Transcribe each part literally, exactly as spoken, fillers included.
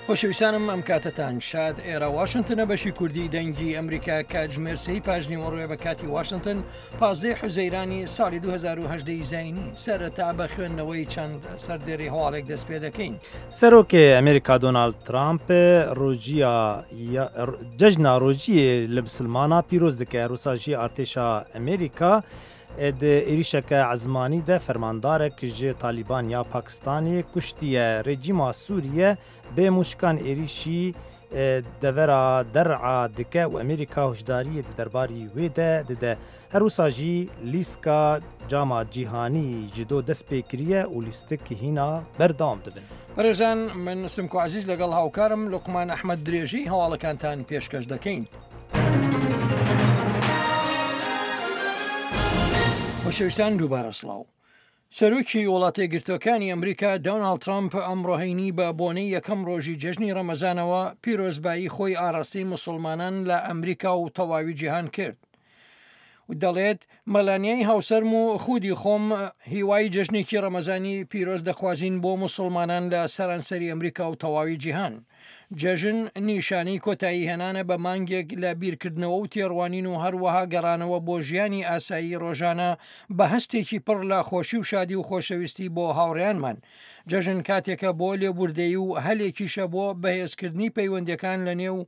خۆشەویستانم ئەم کاتەتان شاد. ئێرە واشنتنە، بەشی کوردی دەنگی ئەمریکا. کاتژمێر سێی پاش نیوەڕۆیە بە کاتی واشنتن، پازدەی حوزەیرانی ساڵی دوو هەزار و هەژدە زایینی. سەرەتا بە خوێندنەوەی چەند سەردێری هەواڵێک دەست پێ دەکەین. سەرۆکێ ئەمریکا دۆناڵد ترامپ ڕۆژیە جەژنا ڕۆژیێ لە مسلمانا پیرۆز دکە. هەروسا ژی ئەرتێشا ئەمریکا د ئێریشەکە ئەزمانی دە فەرماندارەک ژ تالیبان یا پاکستانی کوشتیە. ڕێجیما سووریە بێ موشکان ئێریشی دەڤەرا دەرعا دکە و ئەمریکا هۆشداریە دەرباری وێ دە ددە. هەروسا ژی لیسکا جاما جیهانی ژ دۆ دەست پێ کریە و لیستک هینا بەردەوام دبن. بەڕێزان، من سمکۆ عزیز لەگەڵ هاوکارم لوقمان ئەحمەد درێژی هەواڵەکانتان پێشکەش دەکەین. خۆشەویستان، دووبارە سڵاو. سەرۆکی وڵاتە یەکگرتووەکانی ئەمریکا دۆناڵد ترامپ ئەمڕۆ هەینی بە بۆنەی یەکەم ڕۆژی جەژنی ڕەمەزانەوە پیرۆزبایی خۆی ئاراستەی مسلمانان لە ئەمریکا و تەواوی جیهان کرد و دەڵێت مەلانیای هاوسەرم و خودی خۆم هیوای جەژنێکی ڕەمەزانی پیرۆز دەخوازین بۆ مسلمانان لە سەرانسەری ئەمریکا و تەواوی جیهان. جەژن نیشانەی کۆتایی هێنانە بە مانگێک لە بیرکردنەوە و تێڕوانین و هەروەها گەڕانەوە بۆ ژیانی ئاسایی ڕۆژانە بە هەستێکی پڕ لە خۆشی و شادی و خۆشەویستی بۆ هاوڕێیانمان. جەژن کاتێکە بۆ لێبوردەیی و هەلێکیشە بۆ بەهێزکردنی پەیوەندەکان لە نێو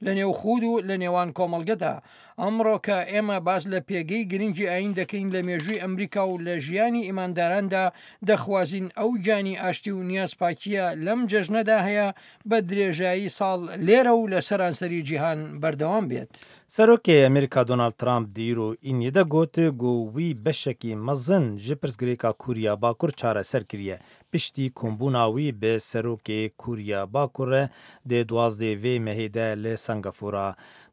لە نێو خود و لە نێوان کۆمەڵگەدا. ئەمڕۆ کە ئێمە باس لە پێگەی گرنگی ئاین دەکەین لە مێژووی ئەمریکا و لە ژیانی ئیمانداراندا، دەخوازین ئەو گیانی ئاشتی و نیازپاکیە لەم جەژنەدا هەیە بە درێژایی ساڵ لێرە و لە سەرانسەری جیهان بەردەوام بێت. سەرۆکێ ئەمریکا دۆناڵد ترامپ د ئیرۆ ئینیێ دە گۆت گۆ وی بەشەکێ مەزن ژ پرسگرێکا کوریا باکور چارەسەر کریە، پشتی کۆمبوونا وی ب سەرۆکێ کوریا باکور د دوازدێ ڤێ مەهێ دە ل سەنگافورا.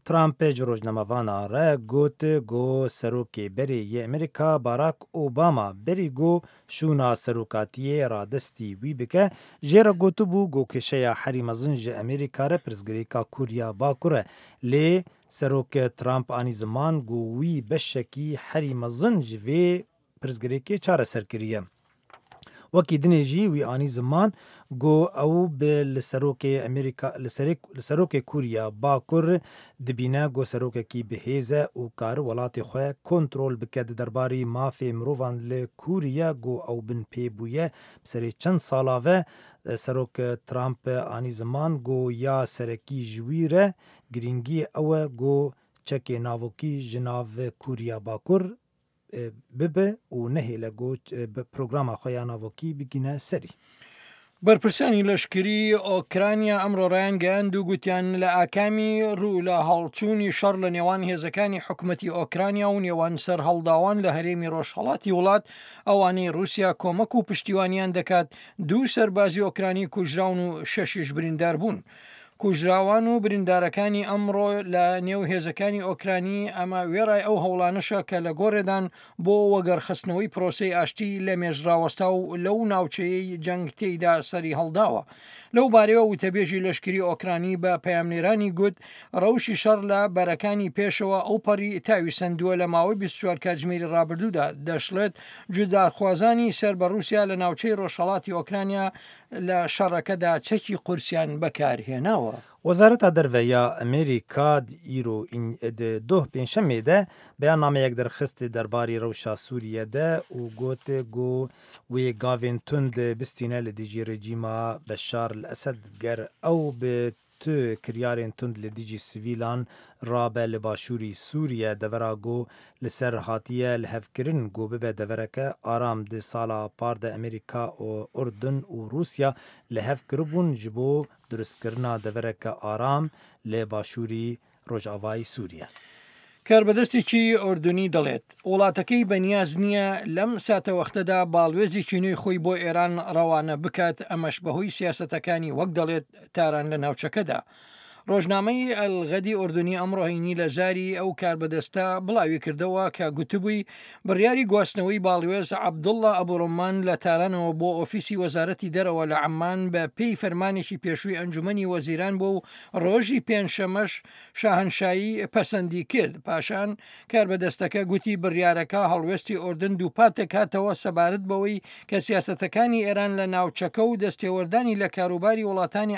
ترامپ ژ ڕۆژنامەڤانا ڕە گۆت گۆ سەرۆکێ بەرێ یێ ئەمریکا باراک ئۆباما بەری گۆ شوونا سەرۆکاتیێ ڕادەستی وی بکە ژێ ڕە گۆتبوو گۆ کێشەیا هەری مەزن ژ ئەمریکا ڕە پرسگرێکا کوریا باکورە. لێ سەرۆک ترامپ ئانی زمان گۆ وی بەشەکێ هەری مەزن ژ ڤێ پرسگرێکێ چارەسەر کریە. وەکی دنێ ژی وی ئانی زمان گۆ ئەو ب ل سەرۆکێ ئەمریکا ل سەرۆکێ کوریا باکور دبینە گۆ سەرۆکەکی بەهێزە و کار وڵاتێ خوە کۆنترۆل بکە. دەرباری مافێ مرۆڤان ل کوریا گۆ ئەو بن پێ بوویە سەرێ چەند ساڵاڤە، سەرۆک ترامپ ئانی زمان گۆ یا سەرەکی ژ وی ڕە گرنگی ئەوە گۆ چەکێ ناڤۆکی ژ ناڤ کوریا باکور ببە و نەهێلە گۆ پرۆگراما خوە یا ناڤۆکی بگینە سەری. بەرپرسانی لەشکری ئۆکرانیا ئەمڕۆ ڕایانگەیاند و گوتیان لە ئاکامی ڕوو لە هەڵچوونی شەڕ لە نێوان هێزەکانی حکوومەتی ئۆکرانیا و نێوان سەرهەڵداوان لە هەرێمی ڕۆژهەڵاتی وڵات، ئەوانەی رووسیا کۆمەک و پشتیوانیان دەکات، دوو سەربازی ئۆکرانی کوژراون و شەشیش بریندار بوون. کوژراوان و بریندارەکانی ئەمڕۆ لە نێو هێزەکانی ئۆکرانی، ئەمە وێڕای ئەو هەوڵانەشە کە لە گۆڕێدان بۆ وەگەڕخستنەوەی پرۆسەی ئاشتی لە مێژڕاوەستا و لەو ناوچەیەی جەنگ تێیدا سەری هەڵداوە. لەو بارەیەوە وتەبێژی لەشکری ئۆکرانی بە پەیامنێرانی گوت ڕەوشی شەڕ لە بەرەکانی پێشەوە ئەو پەڕی تاوی سندووە لە ماوەی بیست و چوار کاتژمێری ڕابردوودا. دەشڵێت جوداخوازانی سەر بە رووسیا لە ناوچەی ڕۆژهەڵاتی ئۆکرانیا لە شەڕەکەدا چەکی قورسیان بەکارهێناوە. وەزارەتا دەرڤە یا ئەمریکا ئیرۆ دۆه پێنجشەمێ دە بەیاننامەیەک دەرخست دەرباری ڕەوشا سووریە دە و گۆت گۆ وێ گاڤێن توند بستینە ل دژی ڕێجیما بەشار ئەسەد گەر ئەو ب تو کریارێن توند ل دژی سڤیلان ڕابە ل باشووری سووریە، دەڤەرا گۆ ل سەر هاتیە ل هەڤکرن گۆ ببە دەڤەرەکە ئارام. د ساڵا پار دە ئەمریکا و ئوردن و ڕووسیا ل هەڤ کربوون ژ بۆ دروستکرنا دەڤەرەکە ئارام ل باشووری ڕۆژئاڤای سووریە. کاربەدەستێکی ئۆردونی دەڵێت وڵاتەکەی بەنیاز نییە لەم ساتەوەختەدا باڵوێزێکی نوێی خۆی بۆ ئێران ڕەوانە بکات، ئەمەش بەهۆی سیاسەتەکانی وەک دەڵێت تاران لە ناوچەکەدا. ڕۆژنامەی ئەلغەدی ئۆردونی ئەمڕۆ هەینی لە زاری ئەو کاربەدەستە بڵاوی کردەوە کە گوتبووی بڕیاری گواستنەوەی باڵوێز عەبدوڵڵا ئەبوڕومان لە تارانەوە بۆ ئۆفیسی وەزارەتی دەرەوە لە عەممان بە پێی فەرمانێکی پێشووی ئەنجومەنی وەزیران بوو و ڕۆژی پێنجشەمەش شاهنشایی پەسەندی کرد. پاشان کاربەدەستەکە گوتی بڕیارەکە هەڵوێستی ئۆردن دووپات دەکاتەوە سەبارەت بەوەی کە سیاسەتەکانی ئێران لە ناوچەکە و دەستێوەردانی لە کاروباری وڵاتانی